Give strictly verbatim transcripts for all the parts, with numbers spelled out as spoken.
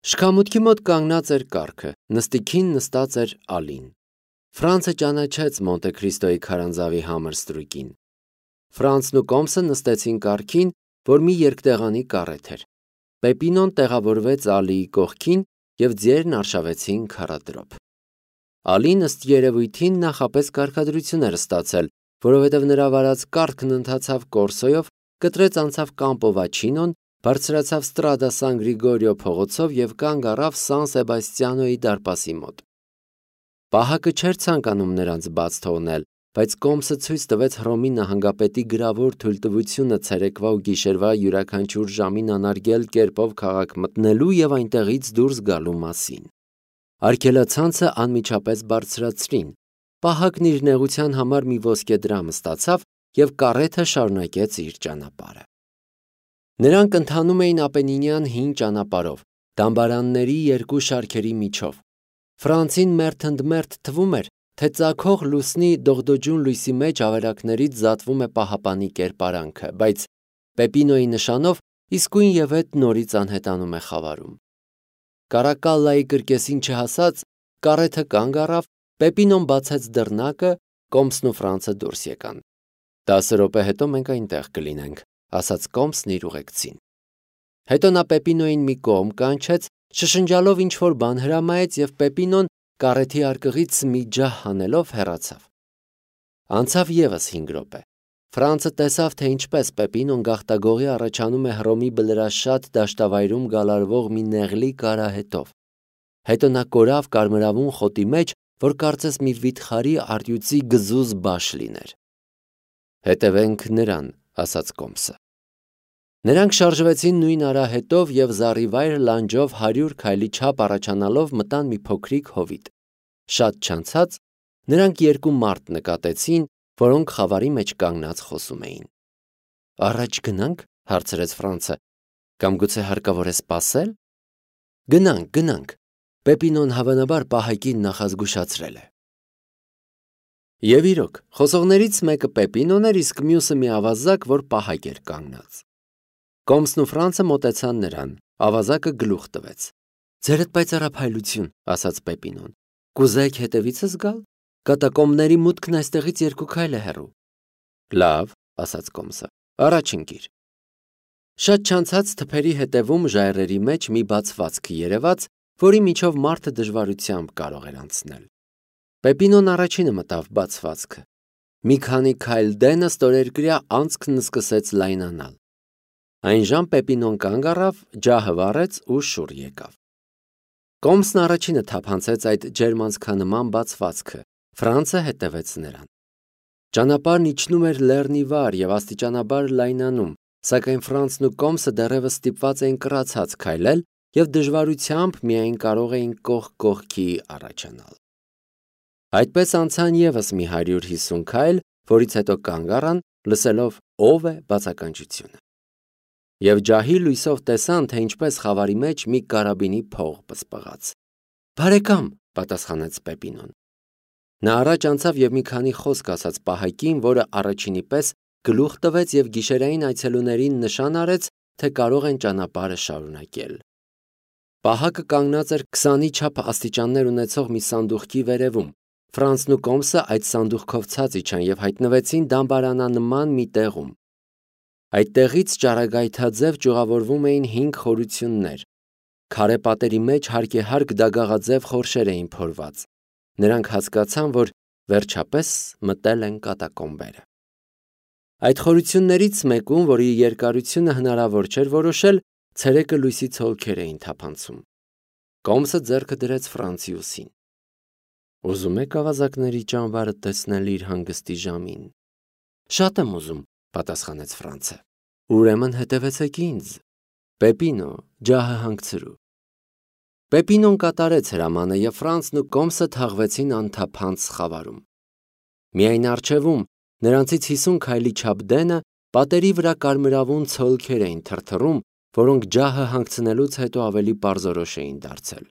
Շքամուտքի մոտ կանգնած էր կառքը, նստիկին նստած էր Ալին։ Ֆրանցը ճանաչեց Մոնտե Քրիստոյի քարանձավի համր ստրուկին։ Ֆրանցն ու Կոմսը նստեցին կառքին, որ մի երկտեղանի կառետ էր։ Պեպինոն տեղավորվեց Ալիի կողքին և ձիերն արշավեցին քարադրոփ։ Ալին ըստ երևույթին նախապես կարգադրություն էր ստացել, որովհետև նրա վարած կառքն ընթացավ Կորսոյով, կտրեց անցավ Կամպովաչինոն, բարձրացավ Ստրադա Սան Գրիգորիո փողոցով և կանգ առավ Սան Սեբաստիանոյի դարպասի մոտ։ Պահակը չէր ցանկանում նրանց բաց թողնել, բայց Կոմսը ցույց տվեց Հռոմի նահանգապետի գրավոր թույլտվությունը ցերեկվա ու գիշերվա յուրաքանչյուր ժամին անարգել կերպով քաղաք մտնելու և այնտեղից դուրս գալու մասին։ Արգելացանցը անմիջապես բարձրացրին։ Պահակն իր նեղության համար մի ոսկե դրամ ստացավ և կառեթը շարունակեց իր ճանապարհը։ Նրանք ընթանում էին Ապենինյան հին ճանապարհով, դամբարանների երկու շարքերի միջով։ Ֆրանցին մերթ ընդ մերթ թվում էր, թե ծագող լուսնի դողդոջուն լույսի մեջ ավերակներից զատվում է պահապանի կերպարանքը, բայց Պեպինոյի նշանով իսկույնևեթ նորից անհետանում է խավարում։ Կարակալլայի կրկեսին չհասած կառեթը կանգ առավ, Պեպինոն բացեց դռնակը, Կոմսն ու Ֆրանցը դուրս եկան։ «Տասը րոպե հետո մենք այնտեղ կլինենք», ասաց Կոմսն իր ուղեկցին։ Հետո նա Պեպինոյին մի կողմ կանչեց, շշնջալով ինչ-որ բան հրամայեց և Պեպինոն կառեթի արկղից մի ջահ հանելով հեռացավ։ Անցավ ևս հինգ րոպե։ Ֆրանցը տեսավ, թե ինչպես Պեպինոն գաղտագողի առաջանում է Հռոմի բլրաշատ դաշտավայրում գալարվող մի նեղլիկ արահետով։ Հետո նա կորավ կարմրավուն խոտի մեջ, որ կարծես մի վիթխարի առյուծի գզուզ բաշ լիներ։ «Հետևենք նրան», ասաց Կոմսը։ Նրանք շարժվեցին նույն արահետով և զառիվայր լանջով հարյուր քայլի չափ առաջանալով մտան մի փոքրիկ հովիտ։ Շատ չանցած նրանք երկու մարդ նկատեցին, որոնք խավարի մեջ կանգնած խոսում էին։ «Առաջ գնա՞նք», հարցրեց Ֆրանցը, «կամ գուցե հարկավոր է սպասել»։ «Գնանք, գնանք», Պեպինոն հավանաբար պահակին նախազգուշացրել է։ Եվ իրոք, խոսողներից մեկը Պեպինոն էր, իսկ մյուսը մի ավազակ, որ պահակ էր կանգնած։ Կոմսն ու Ֆրանցը մոտեցան նրան, ավազակը գլուխ տվեց։ «Ձերդ պայծառափայլություն», ասաց Պեպինոն, «կուզեք հետևիցս գալ։ Կատակոմբների մուտքն այստեղից երկու քայլ է հեռու»։ «Լավ», ասաց Կոմսը, «առաջ ընկիր»։ Շատ չանցած թփերի հետևում ժայռերի մեջ մի բացվածք երևաց, որի միջով մարդը դժվարությամբ կարող էր անցնել։ Պեպինոն առաջինը մտավ բացվածքը։ Մի քանի քայլ դենը ստորերկրյա անցքն սկսեց լայնանալ։ Այնժամ Պեպինոն կանգ առավ, ջահը վառեց ու շուռ եկավ։ Կոմսն առաջինը թափանցեց այդ ջերմանցքանման բացվածքը, Ֆրանցը հետևեց նրան։ Ճանապարհն իջնում էր լեռնի վար և աստիճանաբար լայնանում, սակայն Ֆրանցն ու Կոմսը դեռևս ստիպված էին կռացած քայլել և դժվարությամբ միայն կարող էին կողք կողքի առաջանալ։ Այդպես անցան ևս մի հարյուր հիսուն քայլ, որից հետո կանգ առան, լսելով ով է բացականչությունը։ Եվ ջահի լույսով տեսան, թե ինչպես խավարի մեջ մի կարաբինի փող պսպղաց։ «Բարեկամ», պատասխանեց Պեպինոն։ Նա առաջ անցավ և մի քանի խոսք ասաց պահակին, որը առաջինի պես գլուխ տվեց և գիշերային այցելուներին նշան արեց, թե կարող են ճանապարհը շարունակել։ Պահակը կանգնած էր քսանի չափ աստիճաններ ունեցող մի սանդուղքի վերևում։ Ֆրանցն ու Կոմսը այդ սանդուղքով ցած իջան և հայտնվեցին դամբարանանման մի տեղում։ Այդ տեղից ճառագայթաձև ճյուղավորվում էին հինգ խորություններ։ Քարե պատերի մեջ հարկեհարկ դագաղաձև խորշեր էին փորված։ Նրանք հասկացան, որ վերջապես մտել են կատակոմբերը։ Այդ խորություններից մեկում, որի երկարությունը հնարավոր չէր որոշել, ցերեկը լույսի ցոլքեր էին թափանցում։ Կոմսը ձեռքը դրեց Ֆրանցի ուսին։ «Ուզում եք ավազակների ճամբարը տեսնել իր հանգստի ժամին»։ «Շատ եմ ուզում», պատասխանեց Ֆրանցը։ «Ուրեմն հետևեցեք ինձ։ Պեպինո, ջահը հանգցրու»։ Պեպինոն կատարեց հրամանը և Ֆրանցն ու Կոմսը թաղվեցին անթափանց խավարում։ Միայն առջևում, նրանցից հիսուն քայլի չափ դենը, պատերի վրա կարմրավուն ցոլքեր էին թրթռում, որոնք ջահը հանգցնելուց հետո ավելի պարզորոշ էին դարձել։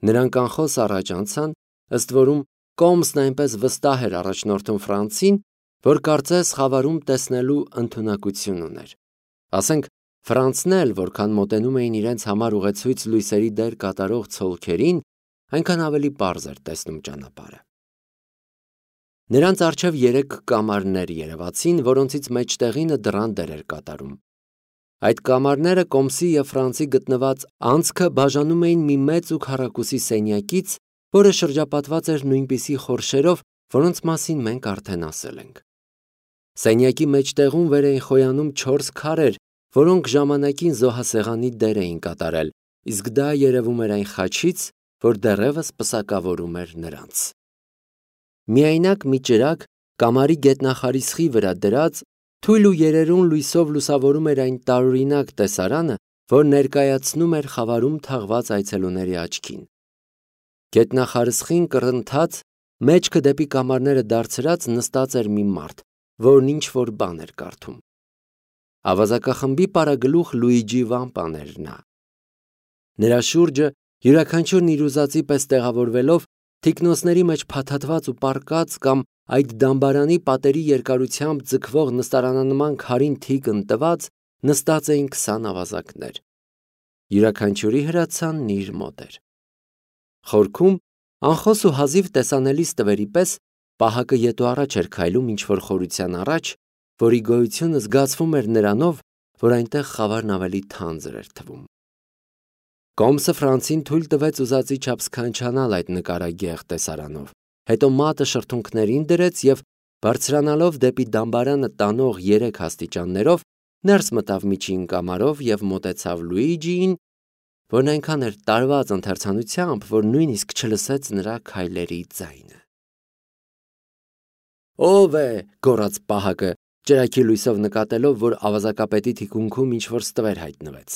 Նրանք անխոս առաջ անցան, ըստ որում Կոմսն այնպես վստահ էր առաջնորդում Ֆրանցին, որ կարծես խավարում տեսնելու ընդունակություն ուներ։ Ասենք, Ֆրանցն էլ, որքան մոտենում էին իրենց համար ուղեցույց լույսերի դեր կատարող ցոլքերին, այնքան ավելի պարզ էր տեսնում ճանապարհը։ Նրանց առջև երեք կամարներ երևացին, որոնցից մեջտեղինը դռան դեր էր կատարում։ Այդ կամարները Կոմսի և Ֆրանցի գտնված անցքը բաժանում էին մի մեծ ու քառակուսի սենյակից, որը շրջապատված էր նույնպիսի խորշերով, որոնց մասին մենք արդեն ասել ենք։ Սենյակի մեջտեղում վեր էին խոյանում չորս քարեր, որոնք ժամանակին զոհասեղանի դեր էին կատարել, իսկ դա երևում էր այն խաչից, որ դեռևս պսակավորում էր նրանց։ Միայնակ մի ճրագ կամարի գետնախարիսխի վրա դրած թույլ ու երերուն լույսով լուսավորում էր այն տարօրինակ տեսարանը, որ ներկայացնում էր խավարում թաղված այցելուների աչքին։ Գետնախարիսխին կռնթած, մեջքը դեպի կամարները դարձրած նստած էր մի մարդ, որն ինչ-որ բան էր կարդում։ Ավազակախմբի պարագլուխ Լուիջի Վամպան էր նա։ Նրա շուրջը յուրաքանչյուրն իր ուզածի պես տեղավորվելով, թիկնոցների մեջ փաթաթված ու պառկած կամ այդ դամբարանի պատերի երկարությամբ ձգվող նստարանանման քարին թիկն տված, նստած էին քսան ավազակներ։ Յուրաքանչյուրի հրացանն իր մոտ էր։ Խորքում, անխոս ու հազիվ տեսանելի ստվերի պես, պահակը ետ ու առաջ էր քայլում ինչ-որ խորության առաջ, որի գոյությունը զգացվում էր նրանով, որ այնտեղ խավարն ավելի թանձր էր թվում։ Կոմսը Ֆրանցին թույլ տվեց ուզածի չափ սքանչանալ այդ նկարագեղ տեսարանով, հետո մատը շրթունքներին դրեց և, բարձրանալով դեպի դամբարանը տանող երեք աստիճաններով, ներս մտավ միջին կամարով և մոտեցավ Լուիջիին, որն այնքան էր տարված ընթերցանությամբ, որ նույնիսկ չլսեց նրա քայլերի ձայնը։ «Ո՞վ է», գոռաց պահակը, ճրագի լույսով նկատելով, որ ավազակապետի թիկունքում ինչ-որ ստվեր հայտնվեց։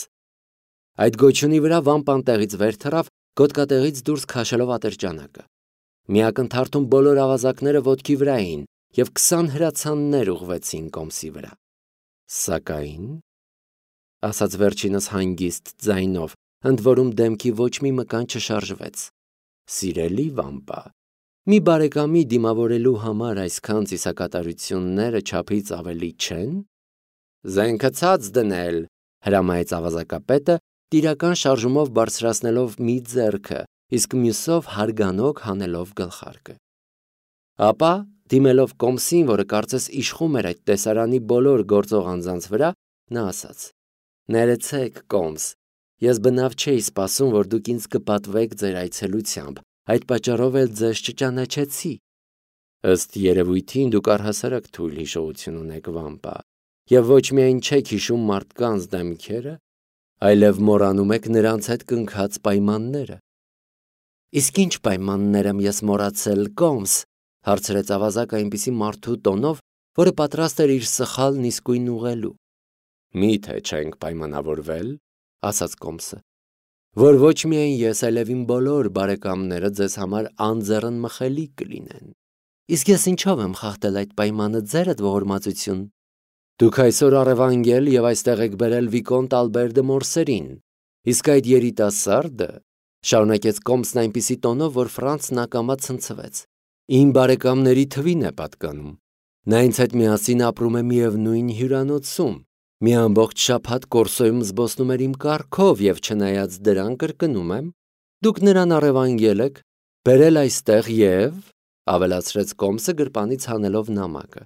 Այդ գոչյունի վրա Վամպան տեղից վեր թռավ, գոտկատեղից դուրս քաշելով ատրճանակը։ Մի ակնթարթում բոլոր ավազակները ոտքի վրա էին, և քսան հրացաններ ուղղվեցին Կոմսի վրա։ Սակայն, ասաց վերջինս հանգիստ ձայնով, ընդ որում դեմքի ոչ մի մկան չշարժվեց, սիրելի Վամպա, մի բարեկամի դիմավորելու համար այսքան ծիսակատարությունները չափից ավելի չեն։ Զենքը ցած դնել, հրամայեց ավազակապետը, տիրական շարժումով բարձրացնելով մի ձեռքը, իսկ մյուսով հարգանոք հանելով գլխարկը։ Ապա, դիմելով Կոմսին, որը կարծես իշխում էր այդ տեսարանի բոլոր գործող անձանց վրա, նա ասաց. «Ներեցեք, Կոմս, ես բնավ չէի սպասում, որ դուք ինձ կպատվեք ձեր այցելությամբ, այդ պատճառով էլ ձեզ չճանաչեցի։ Ըստ երևույթին դուք առհասարակ թույլ հիշողություն ունեք, Վամպա, և ոչ միայն չեք հիշում մարդկանց դեմքերը, այլև մոռանում եք նրանց հետ կնքած պայմանները»։ Իսկ ինչ պայմաններ եմ ես մոռացել, Կոմս, հարցրեց ավազակը այնպիսի մարդու տոնով, որը պատրաստ էր իր սխալն իսկույն ուղղելու։ Մի՞թե չենք պայմանավորվել, ասաց Կոմսը, որ ոչ միայն ես, այլև իմ բոլոր բարեկամները ձեզ համար անձեռն մխելիք կլինեն։ Իսկ ես ինչով եմ խախտել այդ պայմանը, ձերդ ողորմածություն։ Դուք այսօր առևանգել և այստեղ եք բերել Վիկոնտ Ալբեր դը Մորսերին, իսկ այդ երիտասարդը, շարունակեց Կոմսն այնպիսի տոնով, որ Ֆրանցն ակամա ցնցվեց, իմ բարեկամների թվին է պատկանում։ Նա ինձ հետ միասին ապրում է միևնույն հյուրանոցում, մի ամբողջ շաբաթ Կորսոյում զբոսնում էր իմ կառքով և չնայած դրան կրկնում եմ, դուք նրան առևանգել եք, բերել այստեղ և, ավելացրեց Կոմսը գրպանից հանելով նամակը,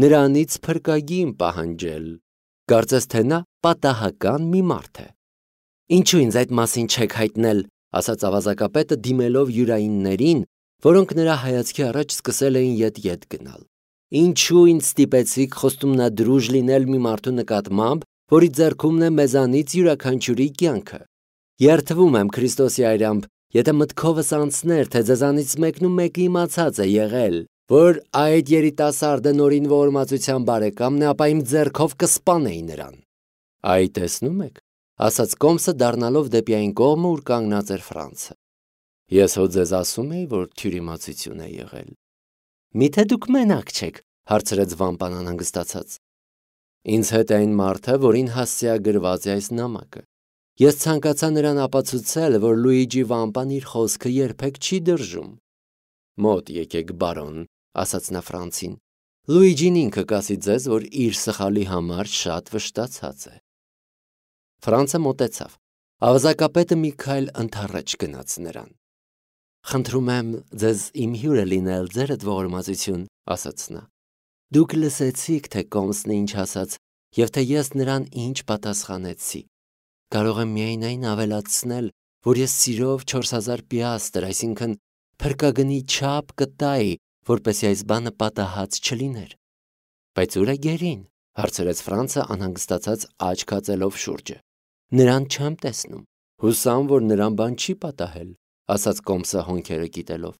նրանից փրկագին պահանջել, կարծես թե նա պատահական մի մարդ է։ Ինչու ինձ այդ մասին չեք հայտնել, ասաց ավազակապետը դիմելով յուրայիններին, որոնք նրա հայացքի առաջ սկսել էին ետ-ետ գնալ։ Ինչու ինձ ստիպեցիք խոստումնադրուժ լինել մի մարդու նկատմամբ, որի ձեռքումն է մեզանից յուրաքանչյուրի կյանքը։ Երդվում եմ Քրիստոսի այրամբ, եթե մտքովս անցներ, թե ձեզանից մեկն ու մեկը իմացած է եղել, որ այդ երիտասարդը նորին ողորմածության բարեկամն է, ապա իմ ձեռքով կսպանեի նրան։ Այ տեսնում եք, ասաց Կոմսը դառնալով դեպի այն կողմը, ուր կանգնած էր Ֆրանցը։ Ես հո ձեզ ասում էի, որ թյուրիմացություն է եղել։ Միթե դուք մենակ չեք, հարցրեց Վամպան անհանգստացած։ Ինձ հետ է այն մարդը, որին հասցեագրված է այս նամակը։ Ես ցանկացա նրան ապացուցել, որ Լուիջի Վամպան իր խոսքը երբեք չի դրժում։ Մոտ եկեք, բարոն, ասաց նա Ֆրանցին։ Լուիջին ինքը կասի ձեզ, որ իր սխալի համար շատ վշտացած է։ Ֆրանցը մոտեցավ։ Ավազակապետը մի քայլ ընդառաջ գնաց նրան։ Խնդրում եմ ձեզ իմ հյուրը լինել, ձերդ ողորմածություն, ասաց նա։ Դուք լսեցիք, թե Կոմսն ինչ ասաց, եւ թե ես նրան ինչ պատասխանեցի։ Կարող եմ միայն այն ավելացնել, որ ես սիրով չորս հազար պիաստր, այսինքն փրկագնի չափ կտայի, որպեսզի այս բանը պատահած չլիներ։ Բայց ուր է գերին, հարցրեց Ֆրանցը անհանգստացած աչք հացելով շուրջը։ Նրան չեմ տեսնում։ Հուսամ, որ նրան բան չի պատահել, ասաց Կոմսը հոնքերը կիտելով։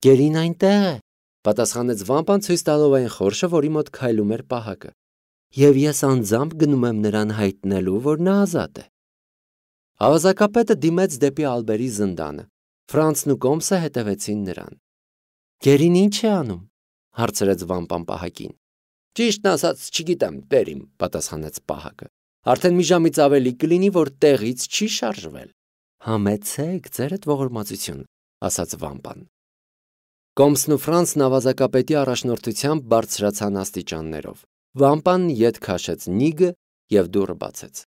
Գերին այնտեղ է, պատասխանեց Վամպան ցույց տալով այն խորշը, որի մոտ քայլում էր պահակը։ Եվ ես անձամբ գնում եմ նրան հայտնելու, որ նա ազատ է։ Ավազակապետը դիմեց դեպի Ալբերի զնդանը։ Ֆրանցն ու Կոմսը հետևեցին նրան։ Գերին ինչ է անում, հարցրեց Վամպան պահակին։ Ճիշտն ասած, չգիտեմ, տերիմ, պատասխանեց պահակը։ Արդեն մի ժամից ավելի կլինի, որ տեղից չի շարժվել։ Համեցեք, ձերդ ողորմածություն, ասաց Վամպան։ Կոմսն ու Ֆրանցն ավազակապետի առաջնորդությամբ բարձրացան աստիճաններով։ Վամպան ետ քաշեց նիգը եւ դուռը բացեց։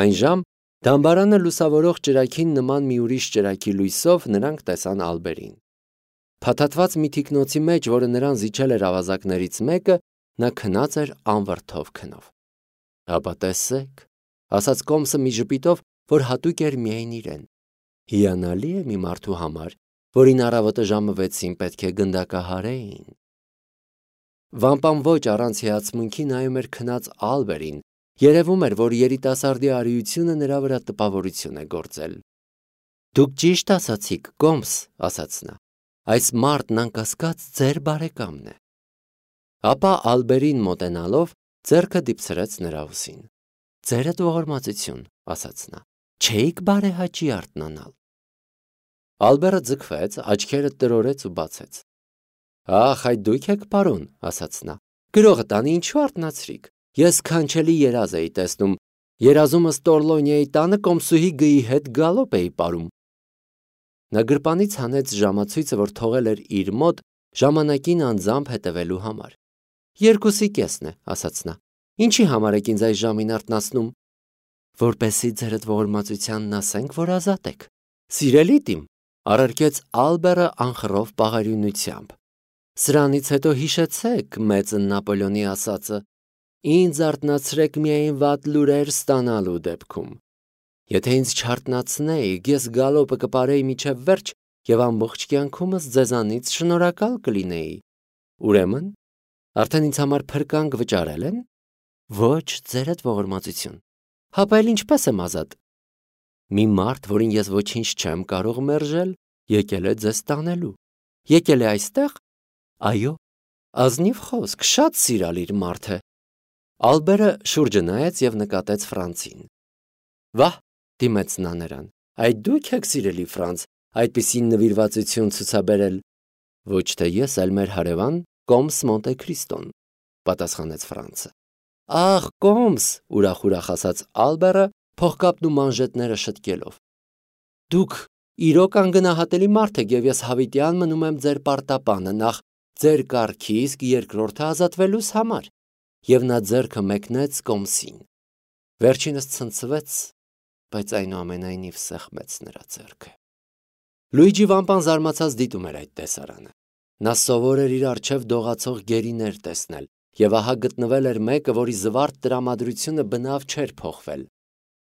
Այն ժամ դամբարանը լուսավորող ճրագին նման մի ուրիշ ճրագի լույսով նրանք տեսան Ալբերին։ Փաթաթված մի թիկնոցի մեջ, որը նրան զիջել էր ավազակներից մեկը, նա քնած էր անվրդով քնով։ Ապա տեսեք, ասաց Կոմսը մի ժպիտով, որ հատուկ էր միայն իրեն։ Հիանալի է մի մարդու համար, որին առավոտը ժամը վեցին պետք է գնդակահարեին։ Վամպան ոչ առանց հիացմունքի նայում էր քնած Ալբերին, երևում էր, որ երիտասարդի արիությունը նրա վրա տպավորություն է գործել։ Դուք ճիշտ ասացիք, Կոմս, ասաց նա, այս մարդն անկասկած ձեր բարեկամն է։ Ապա Ալբերին մոտենալով ձեռքը դիպցրեց նրա ուսին։ Ձերդ ողորմածություն, ասաց նա, չէիք բարեհաճի արթնանալ։ Ալբերը ձգվեց, աչքերը տրորեց ու բացեց։ Ախ, այդ դուք եք պարոն, ասաց նա։ Գրողը տանի ինչու արթնացրիք։ Ես քանչելի երազ էի տեսնում։ Երազումս Տորլոնիայի տանը Կոմսուհի գիի հետ գալոպ էի ապարում։ Նա գրպանից հանեց ժամացույցը, որ թողել էր իր մոտ ժամանակին անձամբ հետևելու համար։ Երկուսի կեսն է, ասաց նա։ Ինչի համար եք ինձ այս ժամին արթնացնում։ Որպեսզի ձերդ ողորմածությանն ասենք, որ ազատ եք։ Սիրելի տիմ, առարկեց Ալբերը անխռով պաղարյունությամբ։ Սրանից հետո հիշեցեք մեծն Նապոլեոնի ասածը. Ինձ արթնացրեք միայն վատ լուրեր ստանալու դեպքում։ Եթե ինձ չարթնացնեիք, ես գալոպը կպարեի միջև վերջ եւ ամբողջ կյանքումս ձեզանից շնորհակալ կլինեի։ Ուրեմն, արդեն ինձ համար փրկանք վճարել են։ Ոչ, ձերդ ողորմածություն։ Հապա էլ ինչպես եմ ազատ։ Մի մարդ, որին ես ոչինչ չեմ կարող մերժել, եկել է ձեզ տանելու։ Եկել է այստեղ։ Այո, ազնիվ խոսք, շատ սիրալիր մարդ է։ Ալբերը շուրջը նայեց եւ նկատեց Ֆրանցին։ Վահ, դիմեց նա նրան։ Այդ դուք եք սիրելի Ֆրանց, այդպիսի նվիրվածություն ցուցաբերել։ Ոչ թե ես, այլ մեր հարևան Կոմս Մոնտե Քրիստոն, պատասխանեց Ֆրանցը։ Ախ, Կոմս, ուրախ-ուրախ ասաց Ալբերը, փողկապն ու մանժետները շտկելով։ Դուք իրոք անգնահատելի մարդ եք եւ ես հավիտյան մնում եմ ձեր պարտապանը նախ ձեր կարգի, իսկ երկրորդը ազատվելուս համար։ Եվ նա ձեռքը մեկնեց Կոմսին։ Վերջինս ցնցվեց, բայց այնուամենայնիվ սեղմեց նրա ձեռքը։ Լուիջի Վամպան զարմացած դիտում էր այդ տեսարանը։ Նա սովոր էր իր առջև դողացող գերիներ տեսնել, եւ ահա գտնվել էր մեկը, որի զվարթ տրամադրությունը բնավ չէր փոխվել։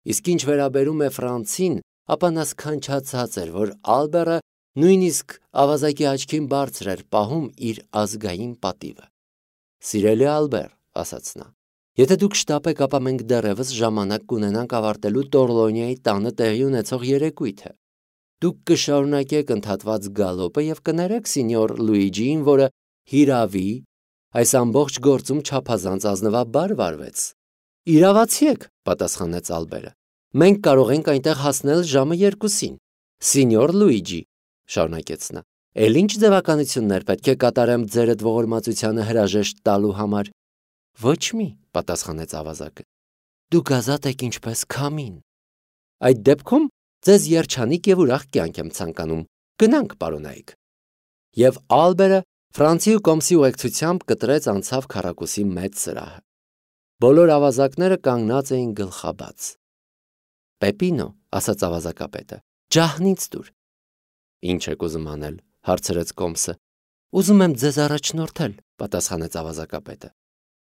Իսկ ինչ վերաբերում է Ֆրանցին, ապա նա սքանչացած էր, որ Ալբերը նույնիսկ ավազակի աչքին բարձր էր պահում իր ազգային պատիվը։ Սիրելի Ալբեր, ասաց նա, եթե դուք շտապեք, ապա մենք դեռևս ժամանակ կունենանք ավարտելու Տորլոնիայի տանը տեղի ունեցող երեկույթը։ Դուք կշարունակեք ընդհատված գալոպը եւ կներեք սինյոր Լուիջիին, որը հիրավի այս ամբողջ գործում չափազանց ազնվաբար վարվեց։ Իրավացի եք, պատասխանեց Ալբերը։ Մենք կարող ենք այնտեղ հասնել ժամը երկուսին։ Սինյոր Լուիջի, շարունակեց նա, էլ ինչ ձևականություններ պետք է կատարեմ ձերդ ողորմածությանը հրաժեշտ տալու համար։ Ոչ մի, պատասխանեց ավազակը։ Դուք ազատ եք ինչպես քամին։ Այդ դեպքում ձեզ երջանիկ եւ ուրախ կյանք եմ ցանկանում։ Գնանք, պարոնայք։ Եվ Ալբերը Ֆրանցի ու Կոմսի ուղեկցությամբ կտրեց անցավ քառակուսի մեծ սրահը։ Բոլոր ավազակները կանգնած էին գլխաբաց։ Պեպինո, ասաց ավազակապետը, ջահնից դուր։ Ինչ եք ուզում անել, հարցրեց Կոմսը։ Ուզում եմ ձեզ առաջնորդել, պատասխանեց ավազակապետը։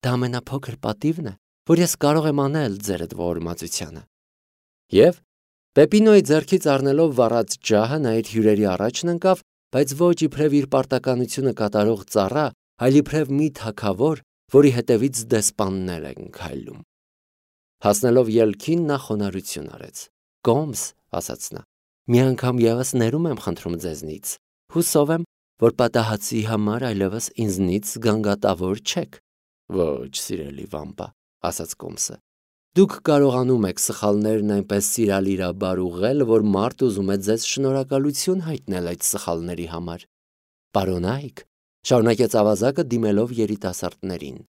Դա ամենափոքր պատիվն է, որ ես կարող եմ անել ձերդ ողորմածությանը։ Եվ Պեպինոյի ձեռքից առնելով վառած ջահը նա իր հյուրերի առաջն ընկավ, բայց ոչ իբրև իր պարտականությունը կատարող ծառա, այլ իբրև մի թագավոր, որի հետևից դեսպաններ են քայլում։ Հասնելով ելքին նա խոնարհություն արեց։ Կոմս, ասաց նա, մի անգամ ևս ներում եմ խնդրում ձեզնից, հուսով եմ, որ պատահածի համար այլևս ինձնից գանգատավոր չեք։ Ոչ, սիրելի վամպա, ասաց Կոմսը։ Դուք կարողանում եք սխալներն այնպես սիրալիրաբար ուղղել, որ մարդ ուզում է ձեզ շնորհակալություն հայտնել այդ սխալների համար։ Պարոնայք, շարունակեց ավազակը դիմելով երիտասարդներին։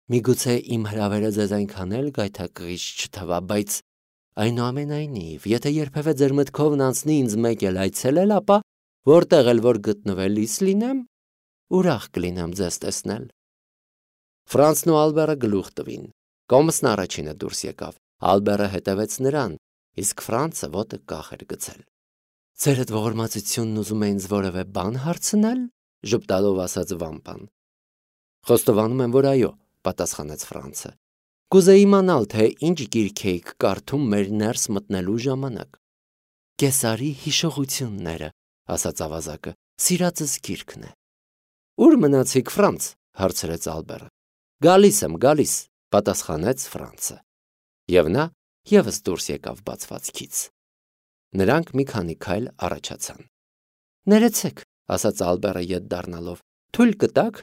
Միգուցե իմ հրավերը ձեզ այնքան էլ գայթակղիչ չթվա, բայց այնուամենայնիվ, եթե երբևէ ձեր մտքովն անցնի ինձ մեկ էլ այցելել, ապա որտեղ էլ որ գտնվելիս լինեմ, ուրախ կլինեմ ձեզ տեսնել։ Ֆրանսն ու Ալբերը գլուխ տվին։ Կոմսն առաջինը դուրս եկավ, Ալբերը հետևեց նրան, իսկ Ֆրանսը ոտը կախ էր գցել։ Ձերդ ողորմածությունն ուզում է ինձ որևէ բան հարցնել, ժպտալով ասաց վամպան։ Խոստովանում եմ, որ այո, պատասխանեց Ֆրանսը։ Կուզեի իմանալ, թե ինչ գիրք էիք կարդում մեր ներս մտնելու ժամանակ։ Կեսարի հիշողությունները, ասաց ավազակը, սիրածս գիրքն է։ Ուր մնացիք, Ֆրանց, հարցրեց Ալբերը։ Գալիս եմ, գալիս, պատասխանեց Ֆրանսը։ Եվ նա ևս դուրս եկավ բացվածքից։ Նրանք մի քանի քայլ առաջացան։ Ներեցեք, ասաց Ալբերը ետ դառնալով, թույլ կտաք,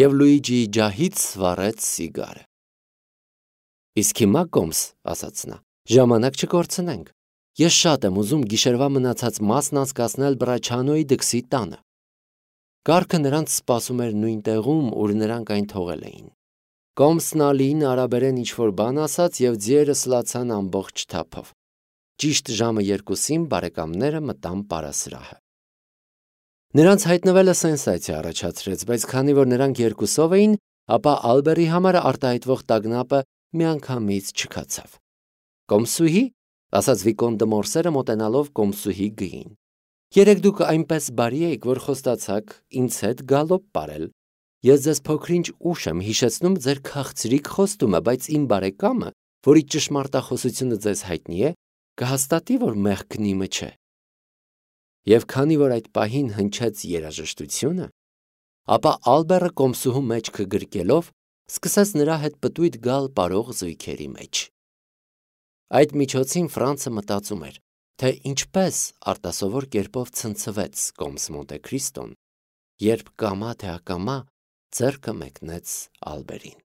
եւ Լուիջիի ջահից վառեց սիգարը։ Իսկ հիմա Կոմս, ասաց նա, ժամանակ չկորցնենք։ Ես շատ եմ ուզում գիշերվա մնացած մասն անցկացնել Բրաչանոյի դքսի տանը։ Կառքը նրանց սպասում էր նույն տեղում, ուր նրանք այն թողել էին։ Կոմսն Ալիին արաբերեն ինչ-որ բան ասաց եւ ձիերը սլացան ամբողջ թափով։ Ճիշտ ժամը երկուսին բարեկամները մտան պարասրահը։ Նրանց հայտնվելը սենսացիա առաջացրեց, բայց քանի որ նրանք երկուսով էին, ապա Ալբերի համար արտահայտվող տագնապը միանգամից չքացավ։ Կոմսուհի, ասաց Վիկոն դը Մորսերը մոտենալով Կոմսուհի գին։ Երեք դուք այնպես բարի եք, որ խոստացաք ինձ հետ գալոպ ապրել։ Ես ձեզ փոքրինչ ուշ եմ հիշեցնում ձեր քաղցրիկ խոստումը, բայց իմ բարեկամը, որի ճշմարտախոսությունը ձեզ հայտնի է, կհաստատի, որ մեղքն իմը չէ։ Եվ քանի որ այդ պահին հնչեց երաժշտությունը, ապա Ալբերը Կոմսուհու մեջքը գրկելով սկսեց նրա հետ պտույտ գալ պարող զույգերի մեջ։ Այդ միջոցին Ֆրանսը մտածում էր, թե ինչպես արտասովոր կերպով ցնցվեց Կոմս Մոնտե Քրիստոն, երբ կամա թե ակամա ձեռքը մեկնեց Ալբերին։